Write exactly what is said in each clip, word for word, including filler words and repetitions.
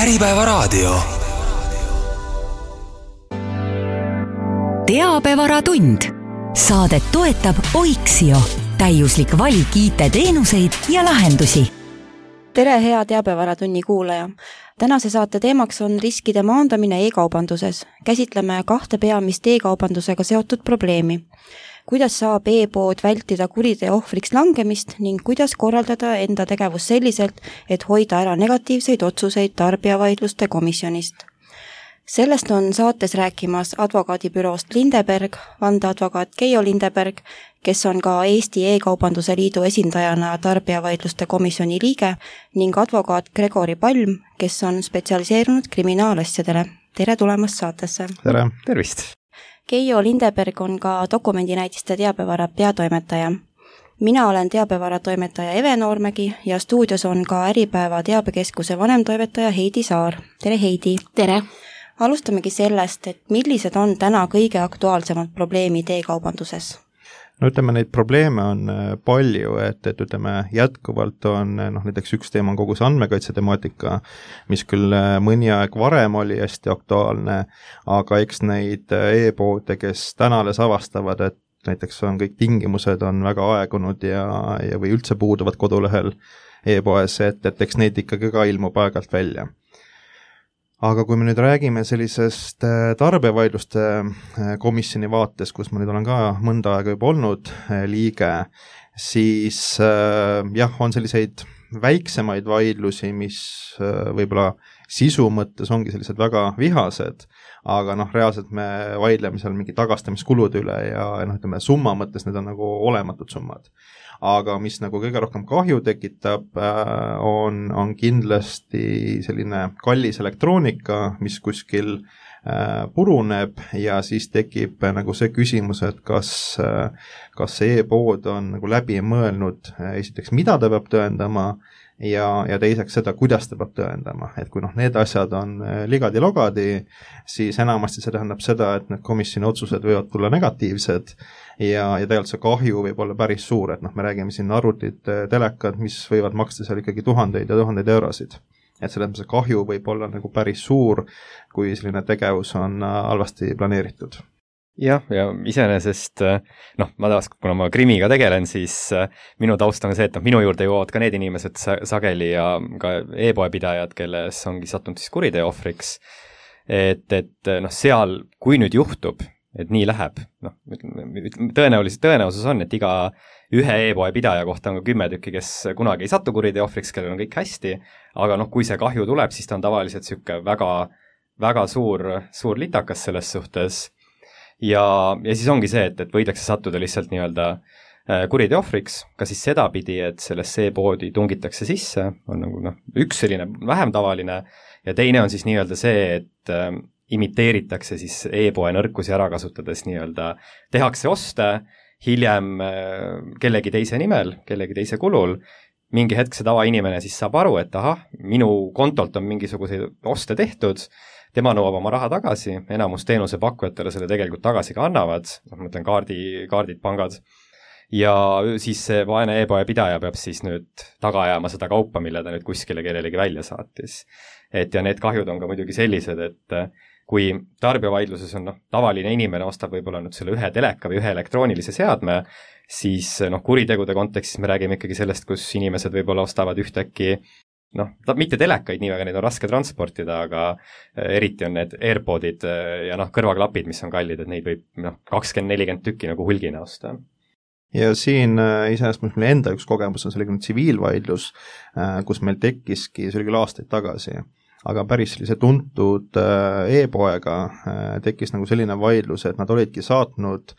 Äripäevaraadio. Teabevaratund. Saadet toetab Oiksio. Täiuslik valik I T-teenuseid ja lahendusi. Tere, hea Teabevaratunni kuulaja. Tänase saate teemaks on riskide maandamine e-kaubanduses. Käsitleme kahte peamist e-kaubandusega seotud probleemi. Kuidas saab e-pood vältida kuriteo ohvriks langemist ning kuidas korraldada enda tegevus selliselt, et hoida ära negatiivseid otsuseid tarbijavaidluste komisjonist. Sellest on saates rääkimas advokaadibüroost Lindeberg, vandeadvokaat Keijo Lindeberg, kes on ka Eesti E-kaubanduse liidu esindajana tarbijavaidluste komisjoni liige ning advokaat Gregori Palm, kes on spetsialiseerunud kriminaalasjadele. Tere tulemast saatesse. Tere, tervist. Keijo Lindeberg on ka dokumendinäitiste teabevara peatoimetaja. Mina olen teabevara toimetaja Eve Noormägi ja stuudios on ka Äripäeva teabekeskuse vanemtoimetaja Heidi Saar. Tere, Heidi. Tere. Alustamegi sellest, et millised on täna kõige aktuaalsemad probleemid e-kaubanduses? No ütleme, neid probleeme on palju, et, et ütleme, jätkuvalt on, noh, näiteks üks teema on kogu see andmekaitse temaatika, mis küll mõni aeg varem oli hästi aktuaalne, aga eks neid e-poode, kes täna alles avastavad, et näiteks on kõik tingimused on väga aegunud ja, ja või üldse puuduvad kodulehel e-poes, et, et eks neid ikkagi ka ilmub aegalt välja. Aga kui me nüüd räägime sellisest tarbijavaidluste komisjoni vaates, kus ma nüüd olen ka mõnda aega juba olnud liige, siis jah, on selliseid väiksemaid vaidlusi, mis võib-olla sisu mõttes ongi sellised väga vihased, aga noh, reaalselt me vaidleme seal mingi tagastamiskulude üle ja noh, ütleme, summa mõttes need on nagu olematud summad. Aga mis nagu kõige rohkem kahju tekitab, on, on kindlasti selline kallis elektroonika, mis kuskil puruneb ja siis tekib nagu see küsimus, et kas, kas see e-pood on nagu läbi mõelnud esiteks, mida ta peab tõendama ja, ja teiseks seda, kuidas ta peab tõendama. Et kui noh, need asjad on ligadi-logadi, siis enamasti see tähendab seda, et need komisjoni otsused võivad tulla negatiivsed ja, ja tegelikult see kahju võib olla päris suur, et noh, me räägime siin arvutid, telekad, mis võivad maksta seal ikkagi tuhandeid ja tuhandeid eurosid. Et selles mõttes kahju võib olla nagu päris suur, kui selline tegevus on halvasti planeeritud. Jah, ja iseenesest, noh, ma taas, kuna ma krimiga tegelen, siis minu taust on see, et noh, minu juurde jõuavad ka need inimesed sageli ja ka e-poepidajad, kelles ongi sattunud siis kuriteo ohvriks. Et, et noh, seal, kui nüüd juhtub, et nii läheb, noh, tõenäoliselt tõenäosus on, et iga ühe e-poe pidaja kohta on ka kümme tükki, kes kunagi ei satu kuriteo ohvriks, kellel on kõik hästi, aga noh, kui see kahju tuleb, siis ta on tavaliselt siuke väga, väga suur, suur litakas selles suhtes ja, ja siis ongi see, et, et võidakse sattuda lihtsalt nii-öelda kuriteo ohvriks, ka siis sedapidi, et sellesse e-poodi tungitakse sisse, on nagu noh, üks selline vähem tavaline ja teine on siis nii-öelda see, et imiteeritakse siis e-poe nõrkusi ära kasutades nii-öelda, tehakse oste, hiljem kellegi teise nimel, kellegi teise kulul, mingi hetk see tavainimene siis saab aru, et ahah, minu kontolt on mingisuguseid oste tehtud, tema nõuab oma raha tagasi, enamus teenuse pakkujatele selle tegelikult tagasi ka annavad, ma mõtlen kaardi, kaardid, pangad, ja siis see vaene e-poe pidaja peab siis nüüd taga ajama seda kaupa, mille ta nüüd kuskile kellelegi välja saatis. Et ja need kahjud on ka muidugi sellised, et kui tarbijavaidluses on noh, tavaline inimene ostab võib-olla nüüd selle ühe teleka või ühe elektroonilise seadme, siis noh, kuritegude kontekstis me räägime ikkagi sellest, kus inimesed võib-olla ostavad ühtäkki, noh, mitte telekaid nii väga, neid on raske transportida, aga eriti on need AirPodid ja noh, kõrvaklapid, mis on kallid, et neid võib noh, kakskümmend nelikümmend tükki nagu hulgina osta. Ja siin iseenesest meil enda üks kogemus on selline tsiviilvaidlus, kus meil tekkiski, see oli küll aastaid tagasi, aga päris sellise tuntud e-poega tekkis nagu selline vaidlus, et nad olidki saatnud,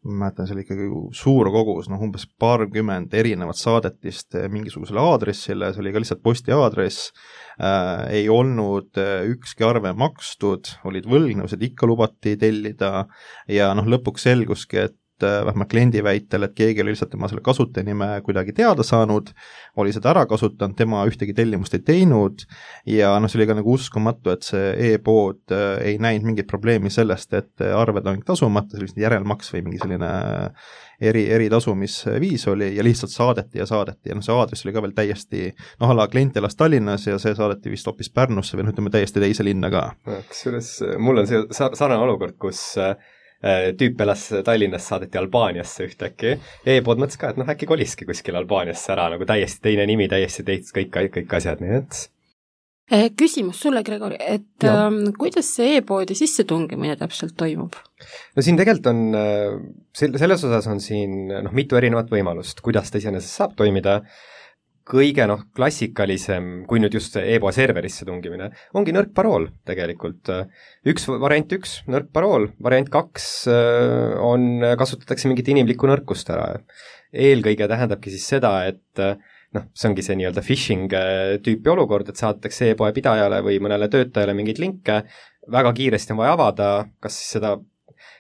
ma mäletan, see oli ikkagi suur kogus, noh umbes paarkümmend erinevat saadetist mingisugusele aadressile, see oli ka lihtsalt posti aadress, äh, ei olnud ükski arve makstud, olid võlgnevused, ikka lubati tellida ja noh, lõpuks selguski, et vähemalt kliendi väitel, et keegi oli lihtsalt tema selle kasutajanime kuidagi teada saanud, oli seda ära kasutanud, tema ühtegi tellimust ei teinud ja noh, see oli ka nagu uskumatu, et see e-pood ei näinud mingit probleemi sellest, et arved on tasumata, see oli järelmaks või mingi selline eri, eritasumisviis oli ja lihtsalt saadeti ja saadeti ja noh, see aadress oli ka veel täiesti, noh, ala klient elas Tallinnas ja see saadeti vist hoopis Pärnusse või noh, ütleme täiesti teise linna ka. Kusjuures mul on see sarnane olukord, kus tüüp elas Tallinnas, saadeti Albaaniasse ühtäkki. E-pood mõtles ka, et noh, äkki koliski kuskil Albaaniasse ära, nagu täiesti teine nimi, täiesti teist, kõik, kõik asjad, nii et... Küsimus sulle, Gregori, et ähm, kuidas see e-poodi sissetungimine täpselt toimub? No siin tegelikult on, selles osas on siin noh, mitu erinevat võimalust, kuidas ta iseenesest saab toimida. Kõige noh, klassikalisem, kui nüüd just e-poe serverisse tungimine, ongi nõrk parool tegelikult. Üks variant üks, nõrk parool, variant kaks on, kasutatakse mingit inimlikku nõrkust ära. Eelkõige tähendabki siis seda, et noh, see ongi see nii-öelda phishing tüüpi olukord, et saadetakse e-poe pidajale või mõnele töötajale mingeid linke, väga kiiresti on vaja avada, kas seda,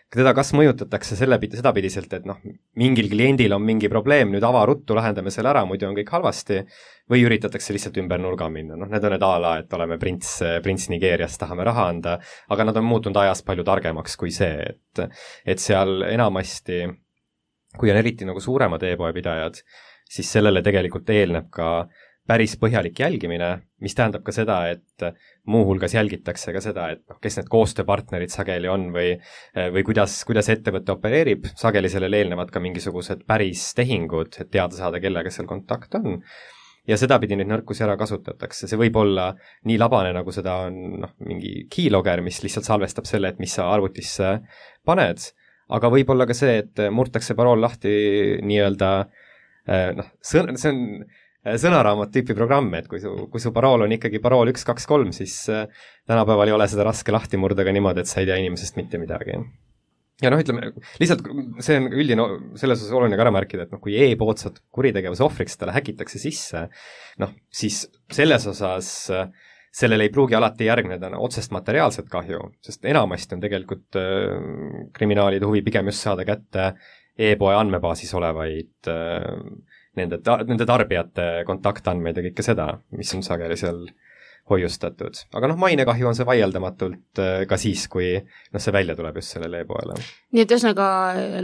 teda kas mõjutatakse selle pidi, sedapidiselt, et noh, mingil kliendil on mingi probleem, nüüd ava ruttu, lahendame selle ära, muidu on kõik halvasti, või üritatakse lihtsalt ümber nurga minna, noh, need on need ala, et oleme prints, prints Nigeerias, tahame raha anda, aga nad on muutunud ajas palju targemaks kui see, et, et seal enamasti, kui on eriti nagu suuremad e-poe pidajad, siis sellele tegelikult eelneb ka päris põhjalik jälgimine, mis tähendab ka seda, et muuhulgas jälgitakse ka seda, et noh, kes need koostööpartnerid sageli on või, või kuidas, kuidas ettevõte opereerib, sageli sellele eelnevad ka mingisugused päris tehingud, et teada saada, kellega seal kontakt on. Ja sedapidi neid nõrkusi ära kasutatakse. See võib olla nii labane, nagu seda on noh, mingi keylogger, mis lihtsalt salvestab selle, et mis sa arvutisse paned, aga võib olla ka see, et murtakse parool lahti nii-öelda noh, sõn, see on sõnaraamat tüüpi programm, et kui su, kui su parool on ikkagi parool üks, kaks, kolm, siis tänapäeval ei ole seda raske lahti murda ka niimoodi, et sa ei tea inimesest mitte midagi. Ja noh, ütleme, lihtsalt see on üldine, selles osas oluline ka ära märkida, et noh, kui e-pood saad kuritegevuse ohvriks, talle häkitakse sisse, noh, siis selles osas sellele ei pruugi alati järgneda otsest materiaalset kahju, sest enamasti on tegelikult kriminaalide huvi pigem just saada kätte e-poe andmebaasis olevaid nende, nende tarbijate kontaktandmeid ja kõike seda, mis on sageli seal hoiustatud. Aga noh, mainekahju on see vaieldamatult ka siis, kui noh, see välja tuleb just sellele e-poele. Nii et ühesõnaga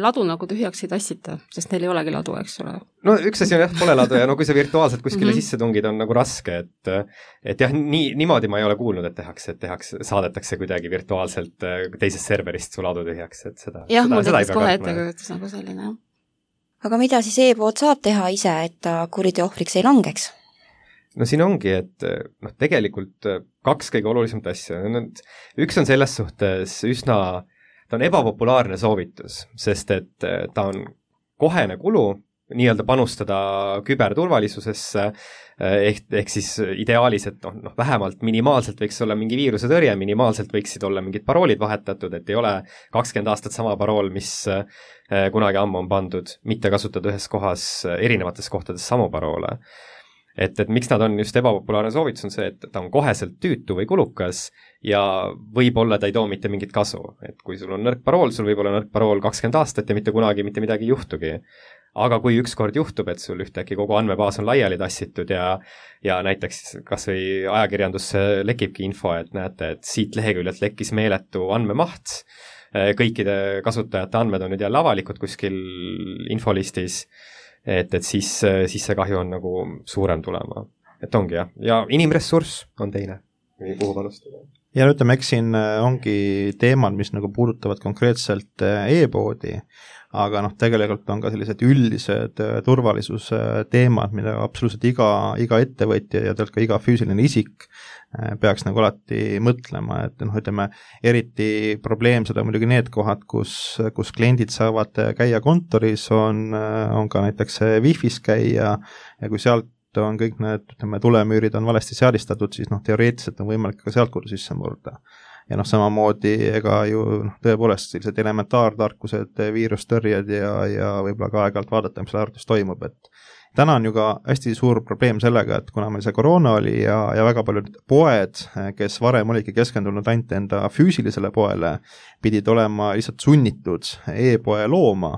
ladu nagu tühjaks ei tassita, sest neil ei olegi ladu, eks ole? No üks asi on jah, pole ladu ja no kui sa virtuaalselt kuskile mm-hmm. sisse tungid, on nagu raske, et et jah, nii, niimoodi ma ei ole kuulnud, et tehakse, et tehakse, saadetakse kuidagi virtuaalselt teisest serverist su ladu tühjaks, et seda jah, mul tekkis kohe ettekujutus nagu selline. Aga mida siis e-pood saab teha ise, et ta kuriteo ohvriks ei langeks? No siin ongi, et noh, tegelikult kaks kõige olulisemat asja. Üks on selles suhtes üsna, ta on ebapopulaarne soovitus, sest et ta on kohene kulu nii-öelda panustada küberturvalisusesse, ehk, ehk siis ideaalis, et noh, noh, vähemalt minimaalselt võiks olla mingi viiruse tõrje, minimaalselt võiksid olla mingid paroolid vahetatud, et ei ole kakskümmend aastat sama parool, mis kunagi ammu on pandud, mitte kasutada ühes kohas, erinevates kohtades samu paroole. Et, et miks nad on just ebapopulaarne soovitus on see, et ta on koheselt tüütu või kulukas ja võib-olla ta ei too mitte mingit kasu. Et kui sul on nõrk parool, sul võib olla nõrk parool kakskümmend aastat ja mitte kunagi mitte midagi juhtugi. Aga kui ükskord juhtub, et sul ühtäkki kogu andmebaas on laiali tassitud ja, ja näiteks kas või ajakirjandusse lekibki info, et näete, et siit leheküljelt lekkis meeletu andmemaht, kõikide kasutajate andmed on nüüd jälle avalikud kuskil infolistis, et, et siis, siis see kahju on nagu suurem tulema. Et ongi jah, ja inimressurss on teine, kuhu panustada. Ja ütleme, eks siin ongi teemad, mis nagu puudutavad konkreetselt e-poodi, aga noh, tegelikult on ka sellised üldised turvalisuse teemad, mida absoluutselt iga, iga ettevõtja ja tegelikult ka iga füüsiline isik peaks nagu alati mõtlema, et noh, ütleme, eriti probleemsed on muidugi need kohad, kus, kus kliendid saavad käia kontoris, on, on ka näiteks Wi-Fi's käia ja kui sealt on kõik need, ütleme, tulemüürid on valesti seadistatud, siis noh, teoreetiliselt on võimalik ka sealt kodu sisse murda. Ja noh, samamoodi ega ju noh, tõepoolest sellised elementaartarkused, viirustõrjed ja, ja võib-olla ka aeg-ajalt vaadata, mis arvutis toimub, et täna on ju ka hästi suur probleem sellega, et kuna meil see koroona oli ja, ja väga paljud poed, kes varem olidki keskendunud ainult enda füüsilisele poele, pidid olema lihtsalt sunnitud e-poe looma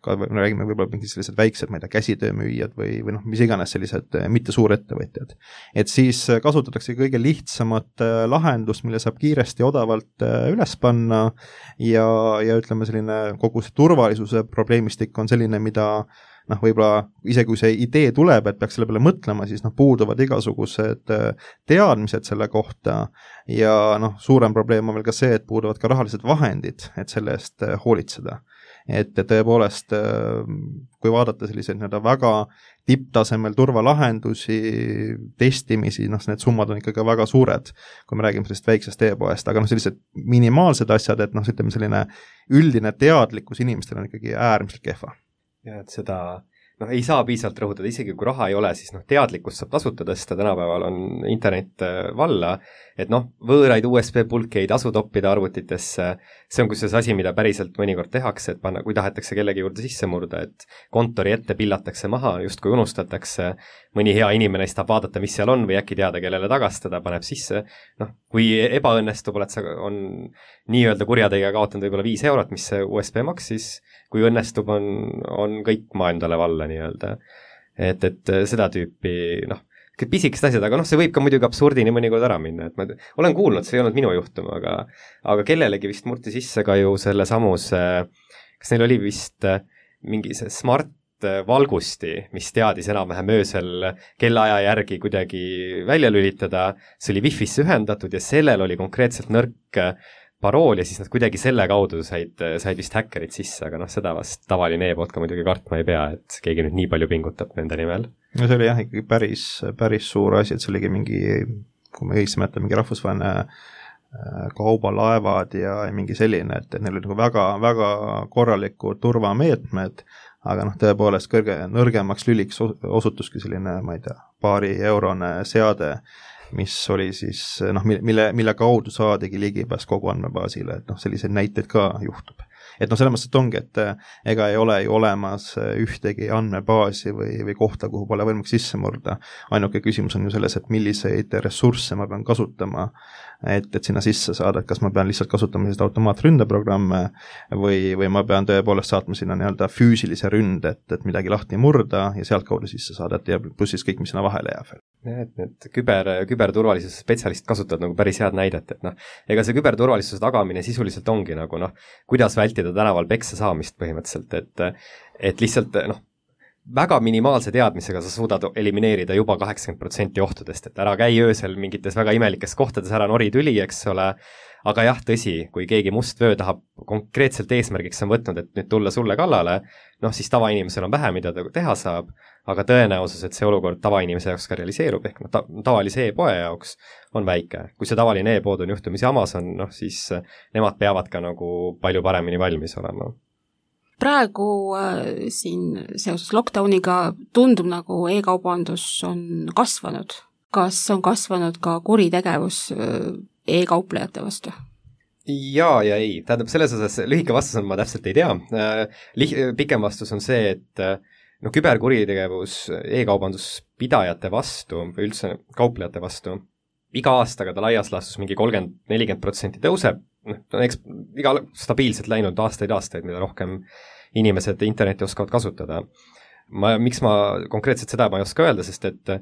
ka me räägime võib-olla mingi sellised väiksed, ma ei tea, käsitöömüüjad või, või noh, mis iganes sellised mitte suurettevõtjad. Et siis kasutatakse kõige lihtsamat lahendust, mille saab kiiresti ja odavalt üles panna ja, ja ütleme, selline kogu see turvalisuse probleemistik on selline, mida noh, võib-olla isegi kui see idee tuleb, et peaks selle peale mõtlema, siis noh, puuduvad igasugused teadmised selle kohta ja noh, suurem probleem on veel ka see, et puuduvad ka rahalised vahendid, et selle eest hoolitseda. Et tõepoolest, kui vaadata selliseid nii-öelda väga tipptasemel turvalahendusi, testimisi, noh, need summad on ikkagi väga suured, kui me räägime sellist väiksest e-poest, aga noh, sellised minimaalsed asjad, et noh, ütleme selline üldine teadlikkus inimestel on ikkagi äärmiselt kehva. Ja et seda, noh, ei saa piisavalt rõhutada, isegi kui raha ei ole, siis noh, teadlikkust saab tasuta tõsta, tänapäeval on internet valla, et noh, võõraid U S B pulke ei tasu toppida arvutitesse, see on kusjuures asi, mida päriselt mõnikord tehakse, et panna, kui tahetakse kellegi juurde sisse murda, et kontori ette pillatakse maha, just kui unustatakse, mõni hea inimene siis tahab vaadata, mis seal on või äkki teada, kellele tagastada, paneb sisse, noh, kui ebaõnnestub, oled sa, on nii-öelda kurjategija kaotanud võib-olla viis eurot, mis see U S B maksis, kui õnnestub, on, on kõik maailmale valla nii-öelda. Et, et seda tüüpi, noh, pisikest asjad, aga noh, see võib ka muidugi absurdini mõnikord ära minna, et ma olen kuulnud, see ei olnud minu juhtum, aga, aga kellelegi vist murti sisse ka ju selle samuse, kas neil oli vist mingi see smart valgusti, mis teadis enam-vähem öösel kellaaja järgi kuidagi välja lülitada, see oli Wi-Fi'sse ühendatud ja sellel oli konkreetselt nõrk parool ja siis nad kuidagi selle kaudu said, said vist häkkerid sisse, aga noh, seda vast tavaline e-pood ka muidugi kartma ei pea, et keegi nüüd nii palju pingutab nende nimel. No see oli jah, ikkagi päris, päris suur asi, et see oligi mingi, kui me õigesti mõtleme, mingi rahvusvaheline kaubalaevad ja mingi selline, et neil oli väga, väga korralikud turvameetmed, aga noh, tõepoolest kõrge, nõrgemaks lüliks osutuski selline, ma ei tea, paari eurone seade, mis oli siis, noh, mille, mille kaudu saadigi ligipääs kogu andmebaasile, et noh, selliseid näiteid ka juhtub. Et noh, selles mõttes, et ongi, et ega ei ole ju olemas ühtegi andmebaasi või, või kohta, kuhu pole võimalik sisse murda. Ainuke küsimus on ju selles, et milliseid ressursse ma pean kasutama, et, et sinna sisse saada, et kas ma pean lihtsalt kasutama sellist automaatründeprogramme või, või ma pean tõepoolest saatma sinna nii-öelda füüsilise ründe, et, et midagi lahti murda ja sealt kaudu sisse saada, et ja pluss siis kõik, mis sinna vahele jääb veel. Ja, et need küber, küberturvalisuse spetsialist kasutavad nagu päris head näidet, et noh, ega see küberturvalisuse tagamine sisuliselt ongi nagu noh, kuidas vältida tänaval peksa saamist põhimõtteliselt, et, et lihtsalt noh, väga minimaalse teadmisega sa suudad elimineerida juba kaheksakümmend protsenti ohtudest, et ära käi öösel mingites väga imelikes kohtades, ära nori tüli, eks ole, aga jah, tõsi, kui keegi must vöö tahab konkreetselt eesmärgiks on võtnud, et nüüd tulla sulle kallale, noh siis tavainimesel on vähe, mida ta teha saab, aga tõenäosus, et see olukord tavainimese jaoks ka realiseerub, ehk no, ta, tavalise e-poe jaoks on väike. Kui see tavaline e-pood on juhtumisi Amazon, noh siis nemad peavad ka nagu palju paremini valmis olema. Praegu äh, siin seoses lockdowniga tundub nagu e-kaubandus on kasvanud. Kas on kasvanud ka kuritegevus äh, e-kauplejate vastu? Jaa ja ei. Tähendab, selles osas lühike vastus on, ma täpselt ei tea. Äh, lih- pikem vastus on see, et äh, no küberkuritegevus e-kaubanduspidajate vastu või üldse kauplejate vastu iga aastaga ta laias laastus mingi kolmkümmend nelikümmend protsenti tõuseb, noh, eks iga stabiilselt läinud aastaid-aastaid, mida rohkem inimesed interneti oskavad kasutada. Ma, miks ma konkreetselt seda ma ei oska öelda, sest et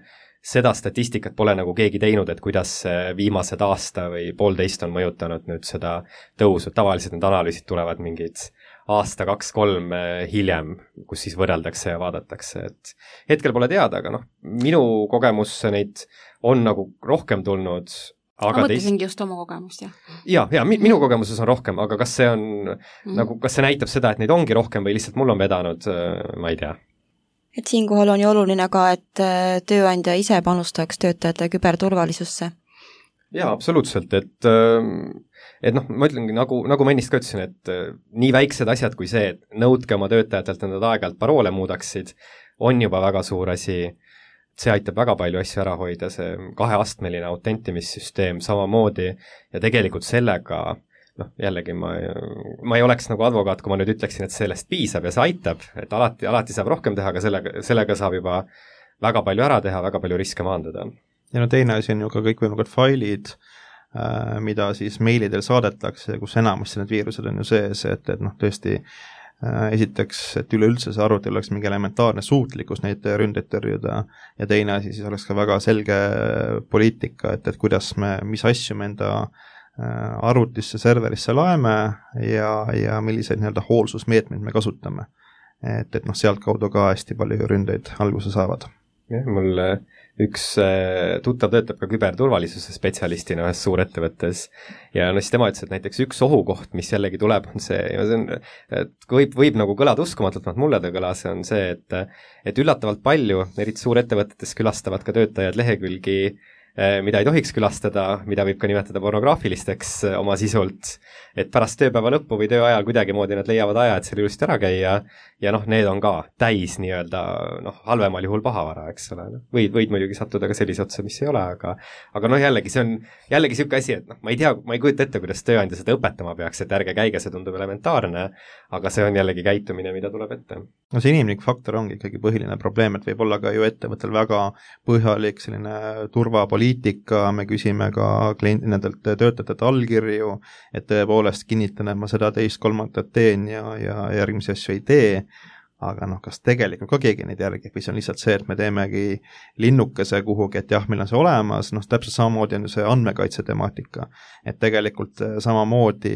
seda statistikat pole nagu keegi teinud, et kuidas viimased aasta või poolteist on mõjutanud nüüd seda tõusu. Tavaliselt need analüüsid tulevad mingid aasta, kaks, kolm hiljem, kus siis võrreldakse ja vaadatakse, et hetkel pole teada, aga noh, minu kogemus neid on nagu rohkem tulnud, aga ma mõtlesingi teist... just oma kogemust, jah. Jaa, jaa, minu kogemuses on rohkem, aga kas see on mm. nagu, kas see näitab seda, et neid ongi rohkem või lihtsalt mul on vedanud, ma ei tea. Et siinkohal on ju oluline ka, et tööandja ise panustaks töötajate küberturvalisusse. Jaa, absoluutselt, et et noh, ma ütlengi, nagu, nagu ma ennist ka ütlesin, et nii väiksed asjad kui see, et nõudke oma töötajatelt, et nad aeg-ajalt paroole muudaksid, on juba väga suur asi. See aitab väga palju asju ära hoida, see kaheastmeline autentimissüsteem samamoodi ja tegelikult sellega, noh, jällegi ma, ma ei oleks nagu advokaat, kui ma nüüd ütleksin, et sellest piisab ja see aitab, et alati, alati saab rohkem teha, aga sellega, sellega saab juba väga palju ära teha, väga palju riske maandada. Ja no teine asi on ju ka kõikvõimalikud failid, mida siis meilidel saadetakse, kus enamasti need viirused on ju sees, et, et noh, tõesti esiteks, et üleüldse see arvutil oleks mingi elementaarne suutlikkus neid ründeid tõrjuda ja teine asi siis oleks ka väga selge poliitika, et, et kuidas me, mis asju me enda arvutisse, serverisse laeme ja, ja milliseid nii-öelda hoolsusmeetmeid me kasutame. Et, et noh, sealt kaudu ka hästi palju ründeid alguse saavad. Jah, mul üks tuttav töötab ka küberturvalisuse spetsialistina ühes suurettevõttes ja no siis tema ütles, et näiteks üks ohukoht, mis jällegi tuleb, on see, ja see on, et võib, võib nagu kõlada uskumatult, mulle ta kõlas, on see, et, et üllatavalt palju, eriti suurettevõtetes külastavad ka töötajad lehekülgi, mida ei tohiks külastada, mida võib ka nimetada pornograafilisteks oma sisult, et pärast tööpäeva lõppu või töö ajal kuidagimoodi nad leiavad aja, et selle ilusti ära käia ja noh, need on ka täis nii-öelda noh, halvemal juhul pahavara, eks ole. Võid, võid muidugi sattuda ka sellise otsa, mis ei ole, aga aga noh, jällegi see on jällegi siuke asi, et noh, ma ei tea, ma ei kujuta ette, kuidas tööandja seda õpetama peaks, et ärge käige, see tundub elementaarne, aga see on jällegi käitumine, mida tuleb ette. No see inimlik faktor ongi ikkagi põhiline probleem, et võib olla ka ju ettevõttel väga põhjalik selline turvapoliitika, me küsime ka klient, nendelt töötajate allkirju, et tõepoolest kinnitan, et ma seda teist kolmandat teen ja, ja järgmisi asju ei tee, aga noh, kas tegelikult ka keegi neid järgib või see on lihtsalt see, et me teemegi linnukese kuhugi, et jah, meil on see olemas, noh, täpselt samamoodi on ju see andmekaitse temaatika, et tegelikult samamoodi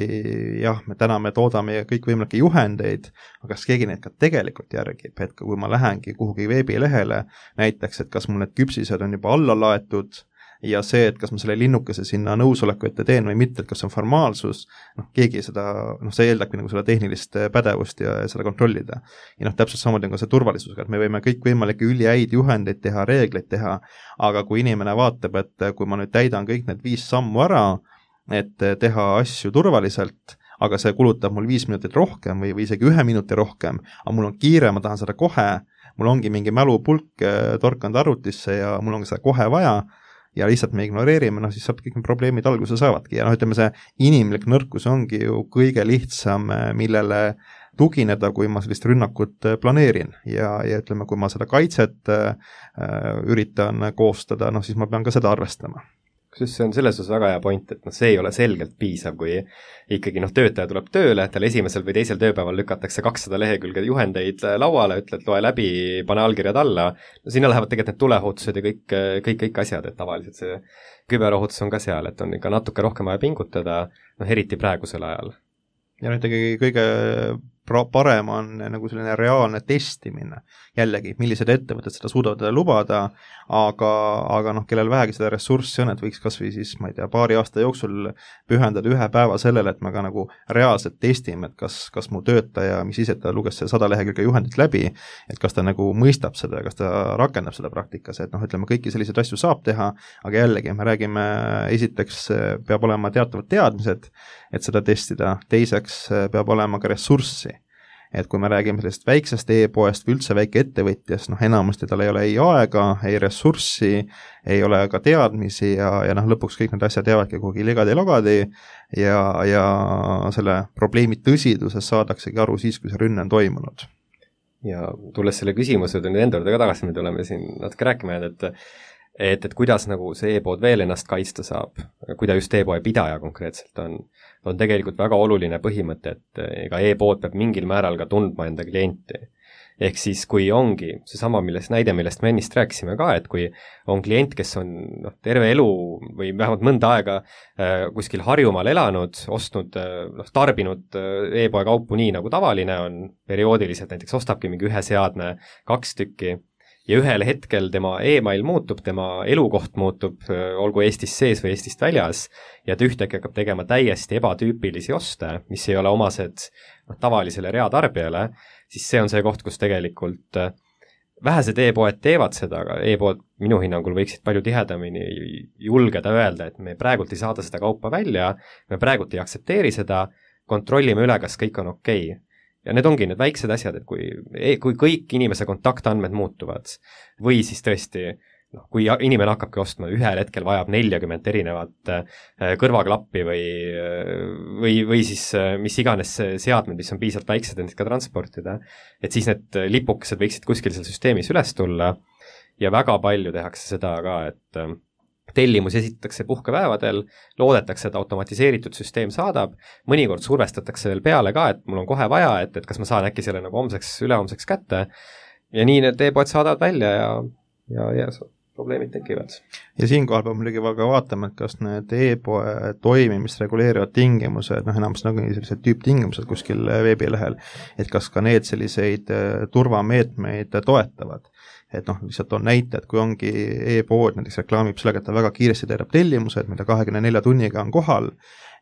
jah, me täna me toodame kõikvõimalikke juhendeid, aga kas keegi neid ka tegelikult järgib, et kui ma lähengi kuhugi veebilehele, näiteks, et kas mul need küpsised on juba alla laetud, ja see, et kas ma selle linnukese sinna nõusoleku ette teen või mitte, et kas see on formaalsus, noh, keegi seda, noh, see eeldabki nagu seda tehnilist pädevust ja seda kontrollida. Ja noh, täpselt samamoodi on ka see turvalisusega, et me võime kõik võimalikke ülihäid juhendeid teha, reegleid teha, aga kui inimene vaatab, et kui ma nüüd täidan kõik need viis sammu ära, et teha asju turvaliselt, aga see kulutab mul viis minutit rohkem või, või isegi ühe minuti rohkem, aga mul on kiire, ma tahan seda kohe, mul ongi mingi mälupulk torkanud arvutisse ja mul on seda kohe vaja, ja lihtsalt me ignoreerime, noh siis sealt kõik need probleemid alguse saavadki ja noh, ütleme see inimlik nõrkus ongi ju kõige lihtsam, millele tugineda, kui ma sellist rünnakut planeerin ja, ja ütleme, kui ma seda kaitset äh, üritan koostada, noh siis ma pean ka seda arvestama. Kusjuures see on selles osas väga hea point, et noh, see ei ole selgelt piisav, kui ikkagi noh, töötaja tuleb tööle, tal esimesel või teisel tööpäeval lükatakse kakssada lehekülge juhendeid lauale, ütled, loe läbi, pane allkirjad alla, no sinna lähevad tegelikult need tuleohutused ja kõik, kõik, kõik asjad, et tavaliselt see küberohutus on ka seal, et on ikka natuke rohkem vaja pingutada, noh eriti praegusel ajal. Ja nüüd ikkagi kõige parem on nagu selline reaalne testimine, jällegi, millised ettevõtted seda suudavad lubada, aga, aga noh, kellel vähegi seda ressurssi on, et võiks kas või siis, ma ei tea, paari aasta jooksul pühendada ühe päeva sellele, et me ka nagu reaalselt testime, et kas, kas mu töötaja, mis ise ta luges see sada lehekülge juhendit läbi, et kas ta nagu mõistab seda, kas ta rakendab seda praktikas, et noh, ütleme, kõiki selliseid asju saab teha, aga jällegi, me räägime, esiteks peab olema teatavad teadmised, et seda testida, teiseks peab olema ka ressurssi. Et kui me räägime sellest väiksest e-poest või üldse väike ettevõtjast, noh enamasti tal ei ole ei aega, ei ressurssi, ei ole ka teadmisi ja, ja noh lõpuks kõik need asjad jäävadki kuhugi ligadi-logadi ja, ja selle probleemi tõsiduses saadaksegi aru siis, kui see rünne on toimunud. Ja tulles selle küsimuse nüüd enda juurde ka tagasi, me tuleme siin natuke rääkima, et et, et kuidas nagu see e-pood veel ennast kaitsta saab, kui ta just e-poe pidaja konkreetselt on, on tegelikult väga oluline põhimõte, et ega e-pood peab mingil määral ka tundma enda klienti. Ehk siis, kui ongi seesama millest, näide, millest me ennist rääkisime ka, et kui on klient, kes on noh, terve elu või vähemalt mõnda aega äh, kuskil Harjumaal elanud, ostnud, noh, tarbinud e-poe kaupu nii, nagu tavaline on, perioodiliselt näiteks ostabki mingi ühe seadme, kaks tükki, ja ühel hetkel tema e-mail muutub, tema elukoht muutub, olgu Eestis sees või Eestist väljas, ja ta ühtäkki hakkab tegema täiesti ebatüüpilisi oste, mis ei ole omased noh, tavalisele reatarbijale, siis see on see koht, kus tegelikult vähesed e-poed teevad seda, aga e-poed minu hinnangul võiksid palju tihedamini julgeda öelda, et me praegult ei saada seda kaupa välja, me praegult ei aktsepteeri seda, kontrollime üle, kas kõik on okei. Ja need ongi need väiksed asjad, et kui, kui kõik inimese kontaktandmed muutuvad või siis tõesti, noh, kui inimene hakkabki ostma, ühel hetkel vajab neljakümmet erinevat kõrvaklappi või, või, või siis mis iganes seadmed, mis on piisavalt väiksed, et ka transportida, et siis need lipukesed võiksid kuskil seal süsteemis üles tulla ja väga palju tehakse seda ka, et tellimus esitatakse puhkepäevadel, loodetakse, et automatiseeritud süsteem saadab, mõnikord survestatakse veel peale ka, et mul on kohe vaja, et, et kas ma saan äkki selle nagu homseks, ülehomseks kätte, ja nii need e-poed saadavad välja ja, ja, ja probleemid tekivad. Ja siinkohal peab muidugi väga vaatama, et kas need e-poe toimimist reguleerivad tingimused, noh enam nagu sellised tüüptingimused kuskil veebilehel, et kas ka need selliseid turvameetmeid toetavad. Et noh, lihtsalt on näite, et kui ongi e-pood, näiteks reklaamib sellega, et ta väga kiiresti teedab tellimused, mida kahekümne nelja tunniga on kohal,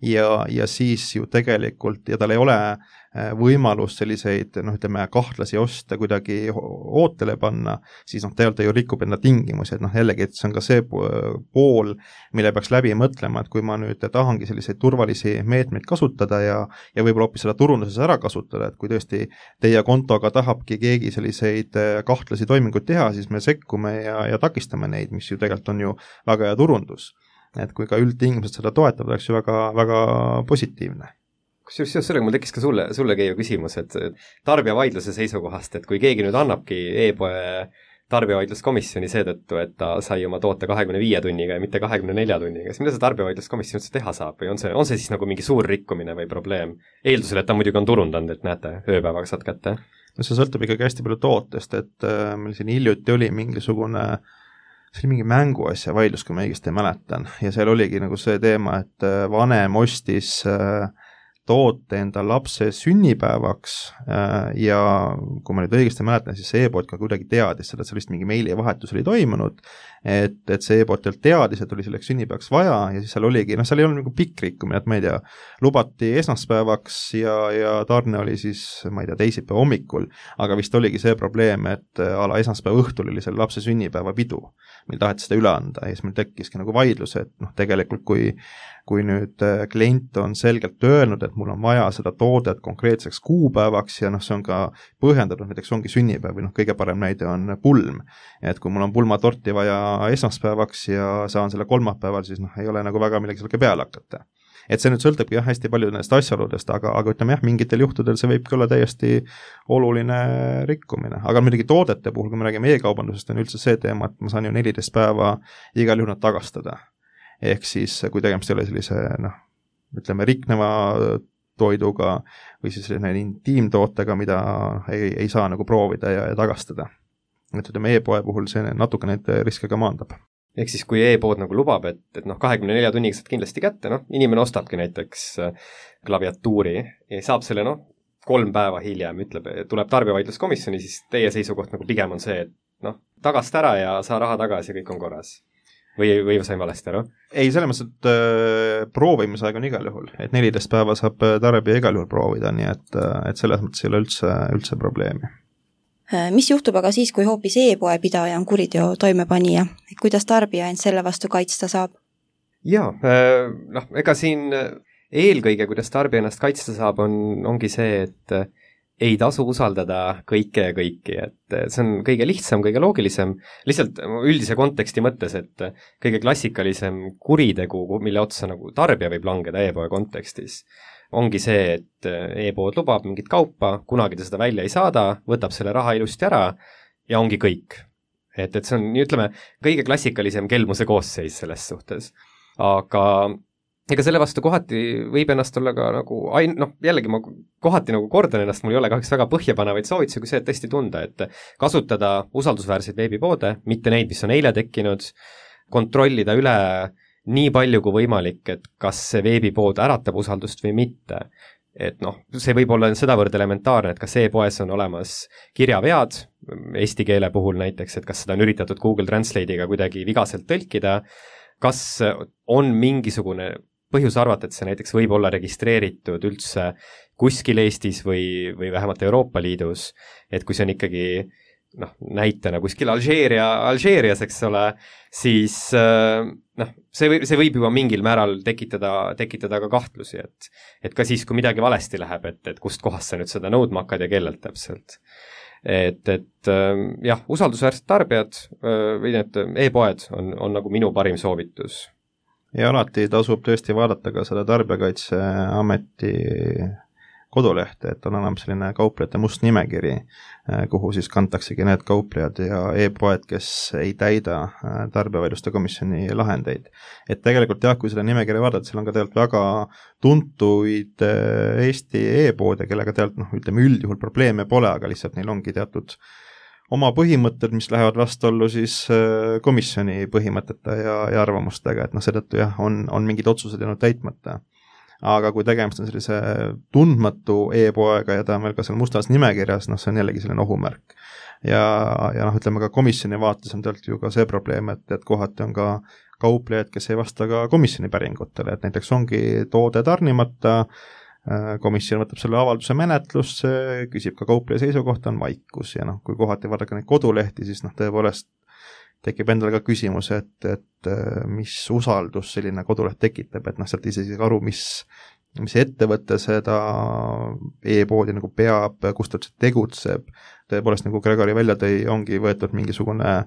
ja, ja siis ju tegelikult, ja tal ei ole võimalus selliseid, noh ütleme, kahtlasi osta kuidagi ootele panna, siis noh, tegelikult ta ju rikub enda tingimusi, et noh, jällegi, et see on ka see pool, mille peaks läbi mõtlema, et kui ma nüüd tahangi selliseid turvalisi meetmeid kasutada ja, ja võib-olla hoopis seda turunduses ära kasutada, et kui tõesti teie kontoga tahabki keegi selliseid kahtlasi toiminguid teha, siis me sekkume ja, ja takistame neid, mis ju tegelikult on ju väga hea turundus. Et kui ka üldtingimused seda toetavad, oleks ju väga, väga positiivne. Kusjuures seoses sellega mul tekkis ka sulle, sulle Keiu küsimus, et tarbijavaidluse seisukohast, et kui keegi nüüd annabki e-poe tarbijavaidluskomisjoni seetõttu, et ta sai oma toote kahekümne viie tunniga ja mitte kahekümne nelja tunniga, siis mida see tarbijavaidluskomisjon üldse teha saab või on see, on see siis nagu mingi suur rikkumine või probleem? Eeldusel, et ta muidugi on turundanud, et näete, ööpäevaga saad kätte. No see sõltub ikkagi hästi palju tootest, et äh, meil siin hiljuti oli mingisugune see oli mingi mänguasja vaidlus, kui ma õigesti mäletan, ja seal oligi nagu see teema, et vanem ostis äh, toote enda lapse sünnipäevaks äh, ja kui ma nüüd õigesti mäletan, siis see e-pood ka kuidagi teadis seda, et sellist mingi meilivahetus oli toimunud, et, et see e-pood teadis, et oli selleks sünnipäevaks vaja ja siis seal oligi, noh seal ei olnud nagu pikk rikkumine, et ma ei tea, lubati esmaspäevaks ja, ja tarne oli siis, ma ei tea, teisipäeva hommikul, aga vist oligi see probleem, et ala esmaspäeva õhtul oli selle lapse sünnipäeva pidu, meil taheti seda üle anda ja siis meil tekkiski nagu vaidlus, et noh, tegelikult kui kui nüüd klient on selgelt öelnud, et mul on vaja seda toodet konkreetseks kuupäevaks ja noh, see on ka põhjendatud, näiteks ongi sünnipäev või noh, kõige parem näide on pulm. Et kui mul on pulmatorti vaja esmaspäevaks ja saan selle kolmapäeval, siis noh, ei ole nagu väga millegi sellega peale hakata. Et see nüüd sõltubki jah, hästi palju nendest asjaoludest, aga, aga ütleme jah, mingitel juhtudel see võibki olla täiesti oluline rikkumine. Aga muidugi toodete puhul, kui me räägime e-kaubandusest, on üldse see teema, et ma saan ju neliteist päeva igal juhul nad tagastada. Ehk siis, kui tegemist ei ole sellise, noh, ütleme, rikneva toiduga või siis selline intiimtootega, mida ei, ei saa nagu proovida ja, ja tagastada. Et ütleme, e-poe puhul see natuke neid riske ka maandab. Ehk siis, kui e-pood nagu lubab, et, et noh, kahekümne nelja tunniga saad kindlasti kätte, noh, inimene ostabki näiteks klaviatuuri ja saab selle, noh, kolm päeva hiljem, ütleb, tuleb tarbijavaidluskomisjoni, siis teie seisukoht nagu pigem on see, et noh, tagast ära ja saa raha tagasi ja kõik on korras. Või, või sain valesti ära? Ei, selle mõttes, et äh, proovimisaeg on igal juhul, et neliteist päeva saab tarbija igal juhul proovida, nii et, et selles mõttes ei ole üldse, üldse probleemi. Mis juhtub aga siis, kui hoopis e-poe pidaja on kuriteo toimepanija? Kuidas tarbija end selle vastu kaitsta saab? Jaa, noh, ega siin eelkõige, kuidas tarbija ennast kaitsta saab, on, ongi see, et ei tasu usaldada kõike ja kõiki, et see on kõige lihtsam, kõige loogilisem, lihtsalt üldise konteksti mõttes, et kõige klassikalisem kuritegu, mille otsa nagu tarbija võib langeda e-poe kontekstis, ongi see, et e-pood lubab mingit kaupa, kunagi ta seda välja ei saada, võtab selle raha ilusti ära ja ongi kõik. Et, et see on, ütleme, kõige klassikalisem kelmuse koosseis selles suhtes. Aga ega selle vastu kohati võib ennast olla ka nagu, ain-, noh, jällegi ma kohati nagu kordan ennast, mul ei ole kahjuks väga põhjapanevaid soovitusi, kui see, et tõesti tunda, et kasutada usaldusväärseid veebipoode, mitte neid, mis on eile tekkinud, kontrollida üle nii palju kui võimalik, et kas see veebipood äratab usaldust või mitte. Et noh, see võib olla sedavõrd elementaarne, et kas e-poes on olemas kirjavead, eesti keele puhul näiteks, et kas seda on üritatud Google Translate'iga kuidagi vigaselt tõlkida, kas on mingisugune põhjus arvata, et see näiteks võib olla registreeritud üldse kuskil Eestis või, või vähemalt Euroopa Liidus, et kui see on ikkagi noh, näitena kuskil Alžeeria, Alžeerias, eks ole, siis noh, see võib, see võib juba mingil määral tekitada, tekitada ka kahtlusi, et, et ka siis, kui midagi valesti läheb, et, et kust kohast sa nüüd seda nõudma hakkad ja kellelt täpselt. Et, et jah, usaldusväärsed tarbijad või need e-poed on, on nagu minu parim soovitus. Ja alati tasub tõesti vaadata ka seda Tarbijakaitseameti kodulehte, et on enam selline kauplejate must nimekiri, kuhu siis kantaksegi need kauplejad ja e-poed, kes ei täida tarbijavaidluste komisjoni lahendeid. Et tegelikult jah, kui seda nimekirja vaadata, seal on ka tegelikult väga tuntuid Eesti e-poode, kellega tegelikult noh, ütleme üldjuhul probleeme pole, aga lihtsalt neil ongi teatud oma põhimõtted, mis lähevad vastuollu siis komisjoni põhimõtete ja, ja arvamustega, et noh, seetõttu jah, on, on mingid otsused jäänud täitmata. Aga kui tegemist on sellise tundmatu e-poega ja ta on veel ka seal mustas nimekirjas, noh, see on jällegi selline ohumärk. Ja, ja noh, ütleme ka komisjoni vaates on tegelikult ju ka see probleem, et, et kohati on ka kauplejad, kes ei vasta ka komisjoni päringutele, et näiteks ongi toode tarnimata, komisjon võtab selle avalduse menetlusse, küsib ka kaupleja seisukohta, on vaikus ja noh, kui kohati vaadake neid kodulehti, siis noh, tõepoolest tekib endale ka küsimus, et, et mis usaldus selline koduleht tekitab, et noh, sealt ise siis aru, mis, mis ettevõte seda e-poodi nagu peab, kus ta tegutseb, tõepoolest nagu Gregori välja tõi, ongi võetud mingisugune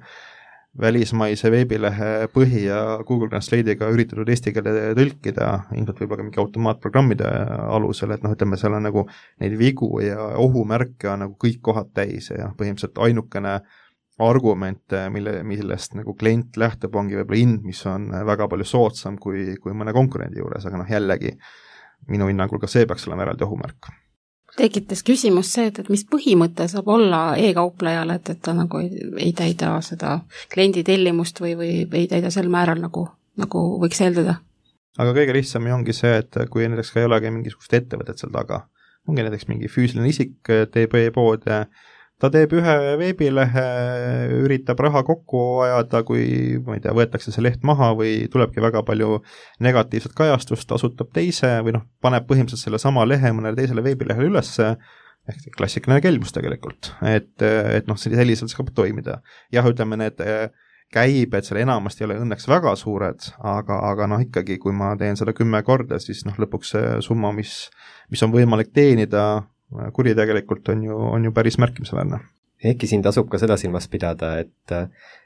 välismaise veebilehe põhi ja Google Translate'iga üritatud eesti keele tõlkida, ilmselt võib-olla ka mingi automaatprogrammide alusel, et noh, ütleme, seal on nagu neid vigu ja ohumärke on nagu kõik kohad täis ja põhimõtteliselt ainukene argument, mille, millest nagu klient lähtub, ongi võib-olla hind, mis on väga palju soodsam kui, kui mõne konkurendi juures, aga noh, jällegi minu hinnangul ka see peaks olema eraldi ohumärk. Tekitas küsimus see, et, et mis põhimõte saab olla e-kauplejal, et, et ta nagu ei, ei täida seda kliendi tellimust või, või, või ei täida sel määral, nagu, nagu võiks eeldada. Aga kõige lihtsam ongi see, et kui näiteks ka ei olegi mingisugust ettevõtet seal taga, ongi näiteks mingi füüsiline isik, teeb e-poode, ta teeb ühe veebilehe, üritab raha kokku ajada, kui ma ei tea, võetakse see leht maha või tulebki väga palju negatiivset kajastust, asutab teise või noh, paneb põhimõtteliselt selle sama lehe mõnele teisele veebilehele ülesse, ehk klassikaline kelmus tegelikult, et, et noh, selliselt saab toimida. Jah, ütleme need käibed seal enamasti ei ole õnneks väga suured, aga, aga noh, ikkagi kui ma teen seda kümme korda, siis noh, lõpuks see summa, mis, mis on võimalik teenida, kuri tegelikult on ju, on ju päris märkimisväärne. Ehkki siin tasub ka seda silmas pidada, et,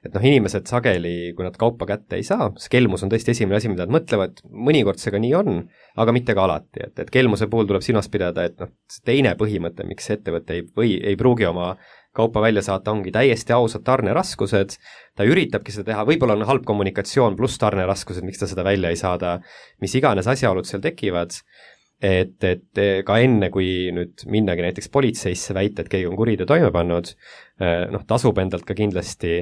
et noh, inimesed sageli, kui nad kaupa kätte ei saa, see kelmus on tõesti esimene asi, mida nad mõtlevad, mõnikord see ka nii on, aga mitte ka alati, et, et kelmuse puhul tuleb silmas pidada, et noh, see teine põhimõte, miks ettevõte ei, või ei pruugi oma kaupa välja saata, ongi täiesti ausad tarneraskused, ta üritabki seda teha, võib-olla on halb kommunikatsioon pluss tarneraskused, miks ta seda välja ei saada, mis iganes asjaolud seal tekivad, et, et ka enne, kui nüüd minnagi näiteks politseisse väita, et keegi on kuriteo toime pannud, noh, tasub endalt ka kindlasti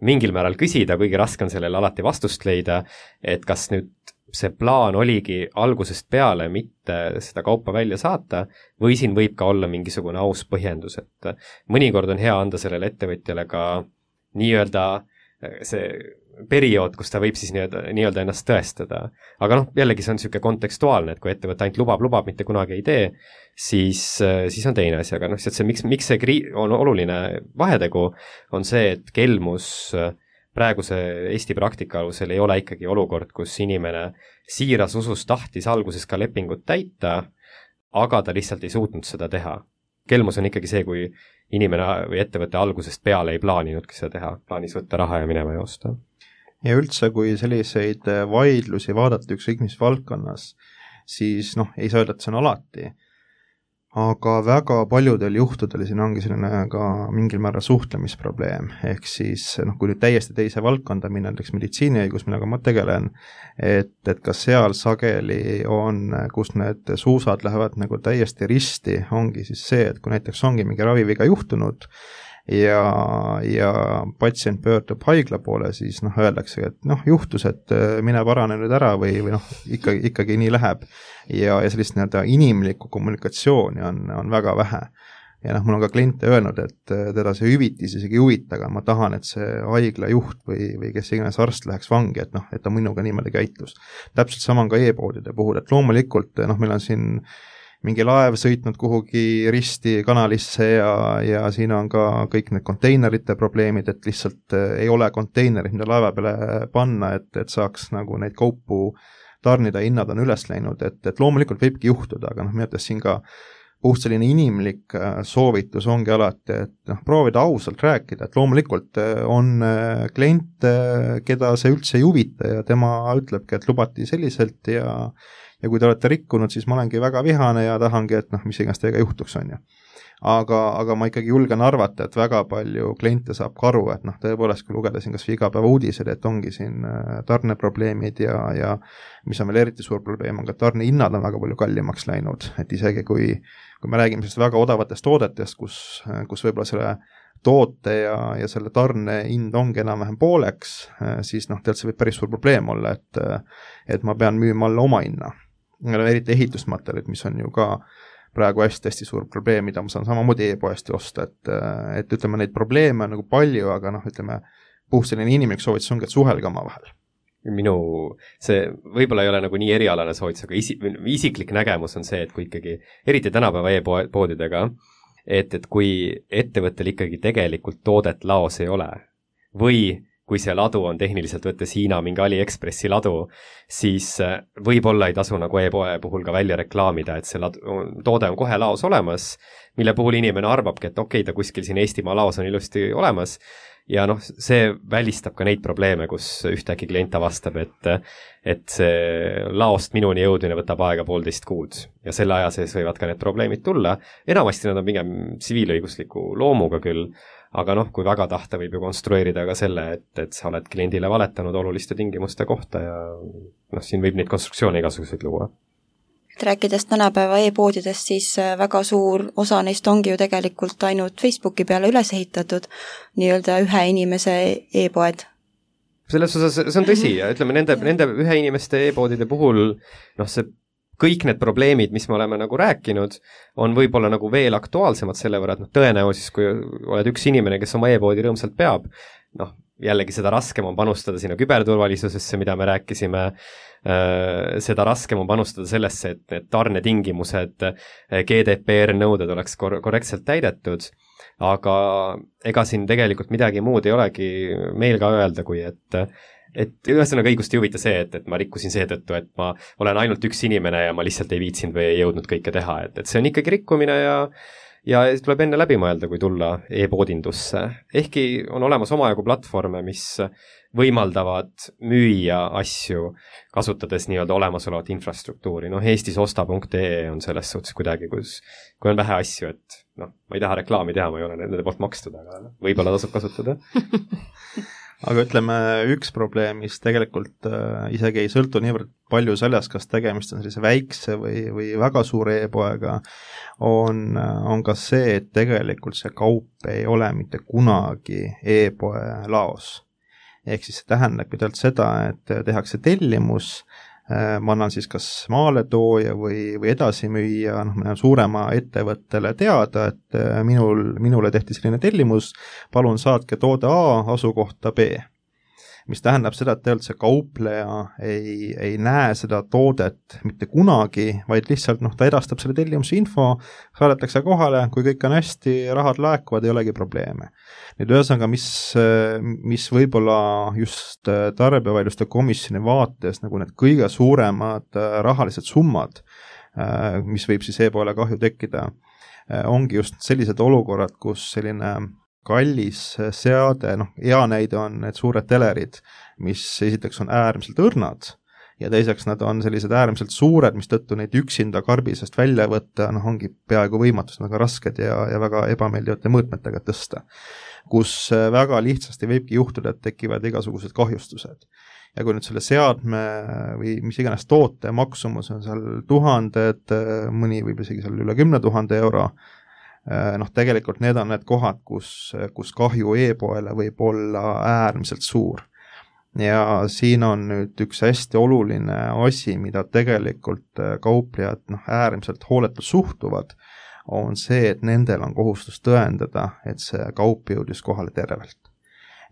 mingil määral küsida, kuigi raske on sellele alati vastust leida, et kas nüüd see plaan oligi algusest peale mitte seda kaupa välja saata või siin võib ka olla mingisugune aus põhjendus, et mõnikord on hea anda sellele ettevõtjale ka nii-öelda see periood, kus ta võib siis nii-öelda, nii-öelda ennast tõestada. Aga noh, jällegi see on niisugune kontekstuaalne, et kui ettevõte ainult lubab, lubab, mitte kunagi ei tee, siis, siis on teine asi, aga noh, see, miks, miks see kri- on oluline vahetegu, on see, et kelmus praeguse Eesti praktika alusel ei ole ikkagi olukord, kus inimene siiras usus tahtis alguses ka lepingut täita, aga ta lihtsalt ei suutnud seda teha. Kelmus on ikkagi see, kui inimene või ettevõte algusest peale ei plaaninudki seda teha, plaanis võtta raha ja minema joosta. Ja üldse, kui selliseid vaidlusi vaadata ükskõik mis valdkonnas, siis noh, ei saa öelda, et see on alati. Aga väga paljudel juhtudel siin ongi selline ka mingil määral suhtlemisprobleem, ehk siis noh, kui nüüd täiesti teise valdkonda minna, näiteks meditsiiniõigus, millega ma tegelen, et, et ka seal sageli on, kus need suusad lähevad nagu täiesti risti, ongi siis see, et kui näiteks ongi mingi raviviga juhtunud ja, ja patsient pöördub haigla poole, siis noh, öeldakse, et noh, juhtus, et mine parane nüüd ära või, või noh, ikkagi, ikkagi nii läheb. Ja, ja sellist nii-öelda inimlikku kommunikatsiooni on, on väga vähe. Ja noh, mul on ka kliente öelnud, et teda see hüvitis isegi huvita, aga ma tahan, et see haigla juht või, või kes iganes arst läheks vangi, et noh, et ta minuga niimoodi käitus. Täpselt sama on ka e-poodide puhul, et loomulikult noh, meil on siin mingi laev sõitnud kuhugi risti kanalisse ja, ja siin on ka kõik need konteinerite probleemid, et lihtsalt ei ole konteinerid, mida laeva peale panna, et, et saaks nagu neid kaupu tarnida, hinnad on üles läinud, et, et loomulikult võibki juhtuda, aga noh, mõttes siin ka puht selline inimlik soovitus ongi alati, et noh, proovida ausalt rääkida, et loomulikult on klient, keda see üldse ei huvita ja tema ütlebki, et lubati selliselt ja ja kui te olete rikkunud, siis ma olengi väga vihane ja tahangi, et noh, mis iganes teiega juhtuks, on ju. Aga, aga ma ikkagi julgen arvata, et väga palju kliente saab ka aru, et noh, tõepoolest, kui lugeda siin kas või igapäeva uudised, et ongi siin tarneprobleemid ja, ja mis on veel eriti suur probleem, on ka tarnehinnad on väga palju kallimaks läinud, et isegi kui, kui me räägime sellest väga odavatest toodetest, kus, kus võib-olla selle toote ja, ja selle tarne hind ongi enam-vähem pooleks, siis noh, tegelikult see võib päris suur probleem olla, et, et ma pean müüma alla oma hinna. Eriti ehitusmaterjalid, mis on ju ka praegu hästi-hästi suur probleem, mida ma saan samamoodi e-poesti osta, et, et ütleme, neid probleeme on nagu palju, aga noh, ütleme, puht selline inimlik soovitus ongi, et suhelge oma vahel. Minu, see võib-olla ei ole nagu nii erialane soovitus, aga isi, isiklik nägemus on see, et kui ikkagi, eriti tänapäeva e-poodidega, et, et kui ettevõttel ikkagi tegelikult toodet laos ei ole või kui see ladu on tehniliselt võttes Hiina mingi AliExpressi ladu, siis võib-olla ei tasu nagu e-poe puhul ka välja reklaamida, et see ladu, toode on kohe laos olemas, mille puhul inimene arvabki, et okei, ta kuskil siin Eestimaa laos on ilusti olemas, ja noh, see välistab ka neid probleeme, kus ühtegi klient avastab, et, et see laost minuni jõudmine võtab aega poolteist kuud ja selle aja sees võivad ka need probleemid tulla. Enamasti nad on pigem tsiviilõigusliku loomuga küll, aga noh, kui väga tahta, võib ju konstrueerida ka selle, et, et sa oled kliendile valetanud oluliste tingimuste kohta ja noh, siin võib neid konstruktsioone igasuguseid luua. Rääkides tänapäeva e-poodidest, siis väga suur osa neist ongi ju tegelikult ainult Facebooki peale üles ehitatud, nii-öelda ühe inimese e-poed. Selles osas see on tõsi ja ütleme, nende, nende ühe inimeste e-poodide puhul noh, see kõik need probleemid, mis me oleme nagu rääkinud, on võib-olla nagu veel aktuaalsemad selle võrra, et noh, tõenäosus, kui oled üks inimene, kes oma e-poodi rõõmsalt peab, noh, jällegi seda raskem on panustada sinna küberturvalisusesse, mida me rääkisime, seda raskem on panustada sellesse, et need tarnetingimused, G D P R nõuded oleks kor- korrektselt täidetud, aga ega siin tegelikult midagi muud ei olegi meil ka öelda, kui et et ühesõnaga õigust ei huvita see, et, et ma rikkusin seetõttu, et ma olen ainult üks inimene ja ma lihtsalt ei viitsinud või ei jõudnud kõike teha, et, et see on ikkagi rikkumine ja ja tuleb enne läbi mõelda, kui tulla e-poodindusse. Ehkki on olemas omajagu platvorme, mis võimaldavad müüa asju, kasutades nii-öelda olemasolevat infrastruktuuri. Noh, Eestis osta punkt ee on selles suhtes kuidagi, kus, kui on vähe asju, et noh, ma ei taha reklaami teha, ma ei ole nende poolt makstud, aga võib-olla tasub kasutada. Aga ütleme, üks probleem, mis tegelikult äh, isegi ei sõltu niivõrd palju sellest, kas tegemist on sellise väikse või, või väga suure e-poega, on, on ka see, et tegelikult see kaup ei ole mitte kunagi e-poe laos. Ehk siis see tähendab pidevalt seda, et tehakse tellimus, ma annan siis kas maaletooja või, või edasimüüja, noh, ma suurema ettevõttele teada, et minul, minule tehti selline tellimus, palun saatke toode A asukohta B. Mis tähendab seda, et tegelikult see kaupleja ei, ei näe seda toodet mitte kunagi, vaid lihtsalt noh, ta edastab selle tellimuse info, saadetakse kohale, kui kõik on hästi, rahad laekuvad, ei olegi probleeme. Nüüd ühesõnaga, mis, mis võib-olla just tarbijavaidluste komisjoni vaates nagu need kõige suuremad rahalised summad, mis võib siis e-poole kahju tekkida, ongi just sellised olukorrad, kus selline kallis seade, noh, hea näide on need suured telerid, mis esiteks on äärmiselt õrnad ja teiseks nad on sellised äärmiselt suured, mis tõttu neid üksinda karbisest välja võtta, noh, ongi peaaegu võimatus, väga rasked ja, ja väga ebameeldivate mõõtmetega tõsta, kus väga lihtsasti võibki juhtuda, et tekivad igasugused kahjustused. Ja kui nüüd selle seadme või mis iganes toote maksumus on seal tuhanded, mõni võib isegi seal üle kümne tuhande euro, noh, tegelikult need on need kohad, kus, kus kahju e-poele võib olla äärmiselt suur. Ja siin on nüüd üks hästi oluline asi, mida tegelikult kauplejad noh, äärmiselt hooletult suhtuvad, on see, et nendel on kohustus tõendada, et see kaup jõudis kohale tervelt.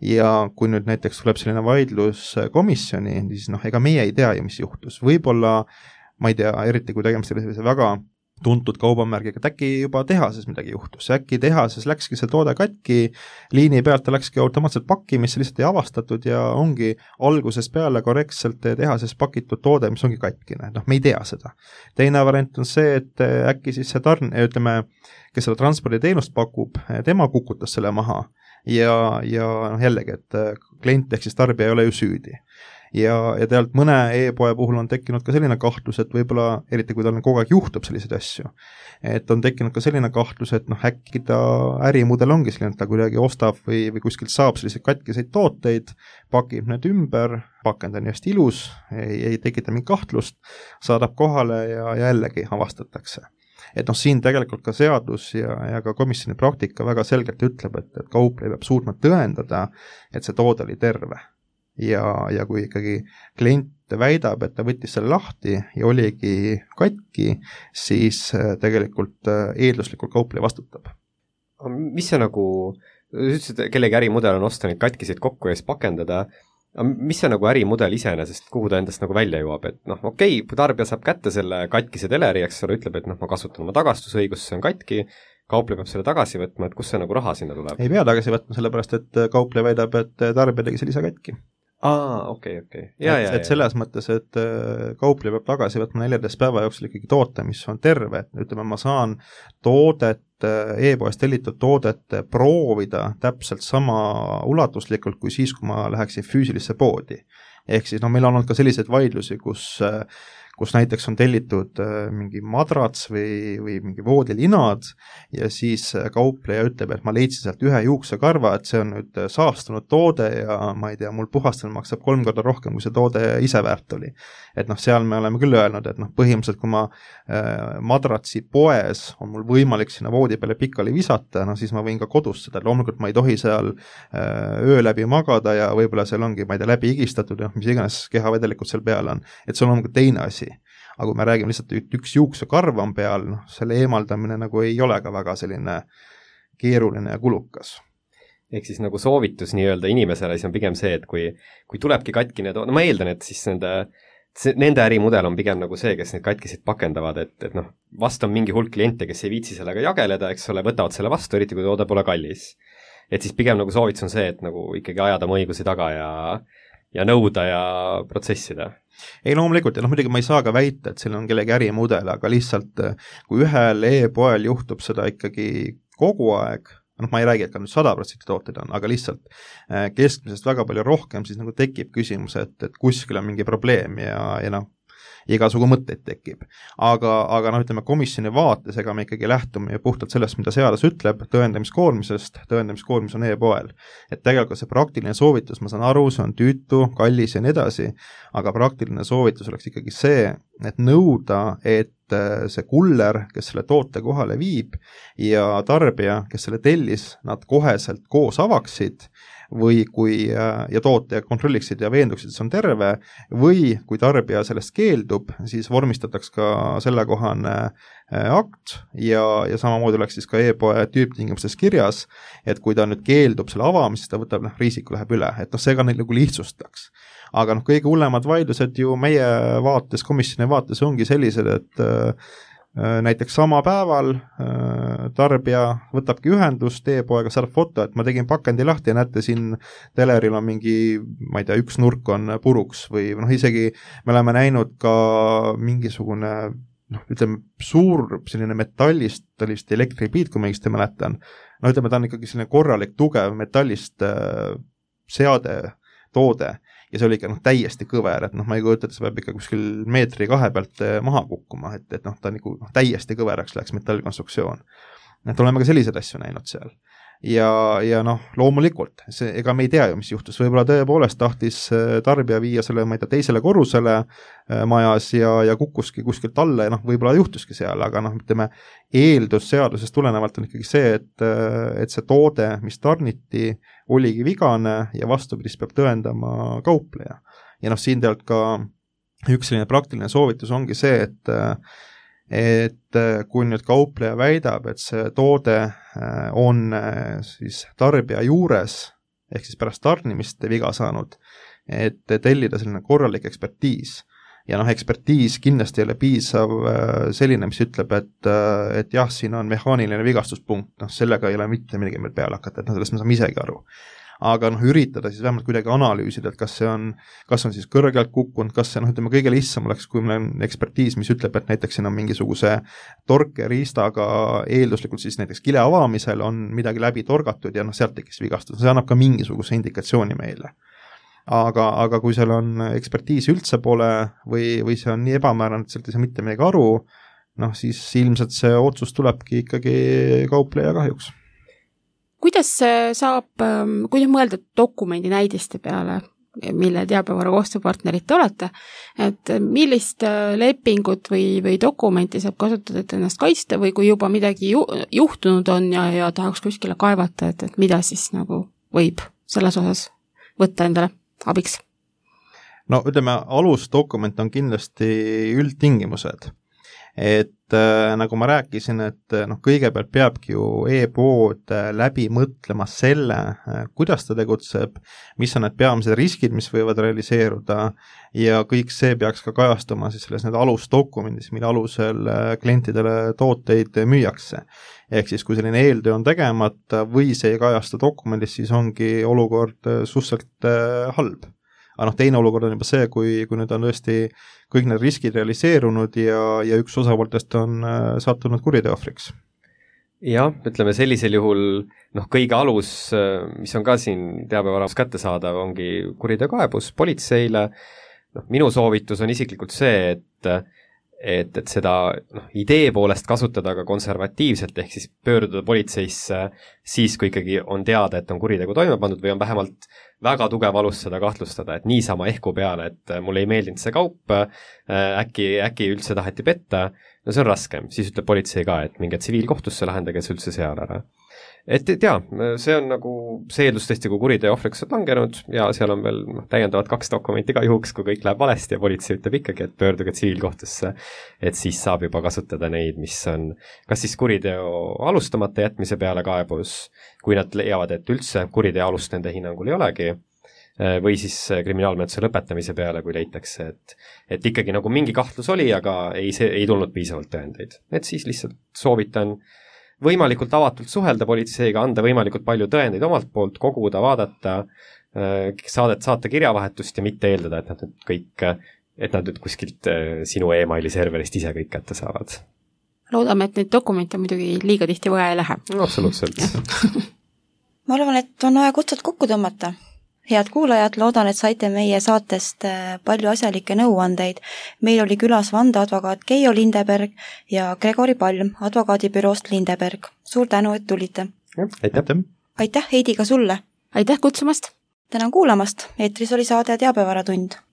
Ja kui nüüd näiteks tuleb selline vaidlus komisjoni, siis noh, ega meie ei tea ju, mis juhtus. Võib-olla, ma ei tea, eriti kui tegemist sellise väga tuntud kaubamärgiga, et äkki juba tehases midagi juhtus, äkki tehases läkski see toode katki, liini pealt ta läkski automaatselt pakkimisse, lihtsalt ei avastatud ja ongi algusest peale korrektselt tehases pakitud toode, mis ongi katkine, noh, me ei tea seda. Teine variant on see, et äkki siis see tarn, ütleme, kes seda transporditeenust pakub, tema kukutas selle maha ja, ja noh, jällegi, et klient ehk siis tarbija ei ole ju süüdi. ja, ja tegelikult mõne e-poe puhul on tekkinud ka selline kahtlus, et võib-olla, eriti kui tal kogu aeg juhtub selliseid asju, et on tekkinud ka selline kahtlus, et noh, äkki ta ärimudel ongi selline, et ta kuidagi ostab või, või kuskilt saab selliseid katkiseid tooteid, pakib need ümber, pakend on just ilus, ei, ei tekita mingit kahtlust, saadab kohale ja, ja jällegi avastatakse. Et noh, siin tegelikult ka seadus ja, ja ka komisjoni praktika väga selgelt ütleb, et, et kaupleja peab suutma tõendada, et see toode oli terve. Ja, ja kui ikkagi klient väidab, et ta võttis selle lahti ja oligi katki, siis tegelikult eelduslikult kaupleja vastutab. Mis see nagu, ütlesid, kellegi ärimudel on osta neid katkiseid kokku ja siis pakendada, mis see nagu ärimudel iseenesest, kuhu ta endast nagu välja jõuab, et noh, okei, tarbija saab kätte selle katkise teleri, eks ole, ütleb, et noh, ma kasutan oma tagastusõigust, see on katki, kaupleja peab selle tagasi võtma, et kus see nagu raha sinna tuleb? Ei pea tagasi võtma, sellepärast et kaupleja väidab, et tarbija tegi selle ise katki. Aa, okei, okei. Et, et selles mõttes, et kaupleja peab tagasi võtma neljateist päeva jooksul ikkagi toote, mis on terve, et ütleme, ma saan toodet, e-poest tellitud toodet proovida täpselt sama ulatuslikult kui siis, kui ma läheksin füüsilisse poodi. Ehk siis no meil on olnud ka selliseid vaidlusi, kus kus näiteks on tellitud mingi madrats või, või mingi voodilinad ja siis kaupleja ütleb, et ma leidsin sealt ühe juuksekarva, et see on nüüd saastunud toode ja ma ei tea, mul puhastamine maksab kolm korda rohkem, kui see toode ise väärt oli. Et noh, seal me oleme küll öelnud, et noh, põhimõtteliselt kui ma äh, madratsi poes on mul võimalik sinna voodi peale pikali visata, no siis ma võin ka kodus seda, loomulikult ma ei tohi seal äh, öö läbi magada ja võib-olla seal ongi, ma ei tea, läbi igistatud, noh, mis iganes kehavedelikult seal peal on, et see on loomulikult teine asi. Aga kui me räägime lihtsalt, et üks juuksekarv on peal, noh, selle eemaldamine nagu ei ole ka väga selline keeruline ja kulukas. Ehk siis nagu soovitus nii-öelda inimesele, siis on pigem see, et kui, kui tulebki katkine, no ma eeldan, et siis nende, see, nende ärimudel on pigem nagu see, kes neid katkisid pakendavad, et, et noh, vast on mingi hulk kliente, kes ei viitsi sellega jageleda, eks ole, võtavad selle vastu, eriti kui toode pole kallis. Et siis pigem nagu soovitus on see, et nagu ikkagi ajada oma õigusi taga ja ja nõuda ja protsessida. Ei loomulikult, ja noh, muidugi ma ei saa ka väita, et siin on kellegi ärimudel, aga lihtsalt kui ühel e-poel juhtub seda ikkagi kogu aeg, noh, ma ei räägi, et ka nüüd sada protsenti tooted on, aga lihtsalt keskmisest väga palju rohkem, siis nagu tekib küsimus, et, et kuskil on mingi probleem ja, ja noh, igasugu mõtteid tekib. Aga, aga noh, ütleme komisjoni vaates, ega me ikkagi lähtume puhtalt sellest, mida seadus ütleb, tõendamiskoormisest, tõendamiskoormis on e-poel. Et tegelikult see praktiline soovitus, ma saan aru, see on tüütu, kallis ja nii edasi, aga praktiline soovitus oleks ikkagi see, et nõuda, et see kuller, kes selle toote kohale viib ja tarbija, kes selle tellis, nad koheselt koos avaksid või kui ja toote kontrolliksid ja veenduksid, et see on terve, või kui tarbija sellest keeldub, siis vormistataks ka sellekohane akt ja, ja samamoodi oleks siis ka e-poe tüüptingimustes kirjas, et kui ta nüüd keeldub selle avamisest, ta võtab, noh, riisiku läheb üle, et noh, see ka neid nagu lihtsustaks. Aga noh, kõige hullemad vaidlused ju meie vaates, komisjoni vaates ongi sellised, et näiteks sama päeval tarbija võtabki ühendust e-poega, saab foto, et ma tegin pakendi lahti ja näete, siin teleril on mingi, ma ei tea, üks nurk on puruks või noh, isegi me oleme näinud ka mingisugune, noh, ütleme, suur selline metallist, sellist elektripiit, kui ma õigesti mäletan, no ütleme, ta on ikkagi selline korralik, tugev metallist äh, seade, toode, ja see oli ikka noh, täiesti kõver, et noh, ma ei kujuta, et see peab ikka kuskil meetri kahe pealt maha kukkuma, et, et noh, ta nagu noh, täiesti kõveraks läks metallkonstruktsioon. Et oleme ka selliseid asju näinud seal. Ja, ja noh, loomulikult, see, ega me ei tea ju, mis juhtus, võib-olla tõepoolest tahtis tarbija viia selle, ma ei tea, teisele korrusele majas ja, ja kukkuski kuskilt alla ja noh, võib-olla juhtuski seal, aga noh, ütleme, eeldus seadusest tulenevalt on ikkagi see, et, et see toode, mis tarniti, oligi vigane ja vastupidist peab tõendama kaupleja. Ja noh, siin tegelikult ka üks selline praktiline soovitus ongi see, et et kui nüüd kaupleja väidab, et see toode on siis tarbija juures, ehk siis pärast tarnimist viga saanud, et tellida selline korralik ekspertiis. Ja noh, ekspertiis kindlasti ei ole piisav selline, mis ütleb, et, et jah, siin on mehaaniline vigastuspunkt, noh, sellega ei ole mitte midagi meil peale hakata, et noh, sellest me saame isegi aru. Aga noh, üritada siis vähemalt kuidagi analüüsida, et kas see on, kas on siis kõrgelt kukkunud, kas see, noh, ütleme, kõige lihtsam oleks, kui meil on ekspertiis, mis ütleb, et näiteks siin on mingisuguse torkeriistaga eelduslikult siis näiteks kile avamisel on midagi läbi torgatud ja noh, sealt tekkis vigastus, see annab ka mingisuguse indikatsiooni meile. aga, aga kui seal on ekspertiisi üldse pole või, või see on nii ebamäärane, et sealt ei saa mitte midagi aru, noh siis ilmselt see otsus tulebki ikkagi kaupleja kahjuks. Kuidas saab, kuidas mõelda dokumendi näidiste peale, mille teabevara koostööpartnerid te olete, et millist lepingut või, või dokumenti saab kasutada, et ennast kaitsta või kui juba midagi ju, juhtunud on ja, ja tahaks kuskile kaevata, et, et mida siis nagu võib selles osas võtta endale abiks? No ütleme, alusdokument on kindlasti üldtingimused, et äh, nagu ma rääkisin, et noh, kõigepealt peabki ju e-pood läbi mõtlema selle, kuidas ta tegutseb, mis on need peamised riskid, mis võivad realiseeruda ja kõik see peaks ka kajastuma siis selles need alusdokumendis, mille alusel klientidele tooteid müüakse. Ehk siis, kui selline eeltöö on tegemata või see ei kajasta dokumendis, siis ongi olukord suhteliselt halb. Aga noh, teine olukord on juba see, kui, kui nüüd on tõesti kõik need riskid realiseerunud ja, ja üks osapooltest on sattunud kuriteohvriks. Jah, ütleme sellisel juhul, noh, kõige alus, mis on ka siin teabevaras kättesaadav, ongi kuriteokaebus politseile. Noh, minu soovitus on isiklikult see, et et, et seda noh, idee poolest kasutada ka konservatiivselt, ehk siis pöörduda politseisse siis, kui ikkagi on teada, et on kuritegu toime pandud või on vähemalt väga tugev alus seda kahtlustada, et niisama ehku peale, et mulle ei meeldinud see kaup, äkki, äkki üldse taheti petta, no see on raskem, siis ütleb politsei ka, et minge tsiviilkohtusse lahendage see üldse seal ära. Et tea, see on nagu see eeldus tõesti, kui kuriteo ohvriks on langenud ja seal on veel no, täiendavad kaks dokumenti ka juhuks, kui kõik läheb valesti ja politsei ütleb ikkagi, et pöörduge tsiviilkohtusse, et siis saab juba kasutada neid, mis on kas siis kuriteo alustamata jätmise peale kaebus, kui nad leiavad, et üldse kuriteo alust nende hinnangul ei olegi, või siis kriminaalmenetluse lõpetamise peale, kui leitakse, et, et ikkagi nagu mingi kahtlus oli, aga ei, see, ei tulnud piisavalt tõendeid. Et siis lihtsalt soovitan võimalikult avatult suhelda politseiga, anda võimalikult palju tõendeid omalt poolt, koguda, vaadata, saadet, saata kirjavahetust ja mitte eeldada, et nad nüüd kõik, et nad nüüd kuskilt sinu e-maili serverist ise kõik kätte saavad. Loodame, et neid dokumente muidugi liiga tihti vaja ei lähe. No, absoluutselt. Ma arvan, et on aeg otsad kokku tõmmata. Head kuulajad, loodan, et saite meie saatest palju asjalikke nõuandeid. Meil oli külas vandeadvokaat Keijo Lindeberg ja Gregori Palm advokaadibüroost Lindeberg. Suur tänu, et tulite. Aitäh. Aitäh, Heidi, ka sulle. Aitäh kutsumast. Tänan kuulamast. Eetris oli saade Teabevaratund.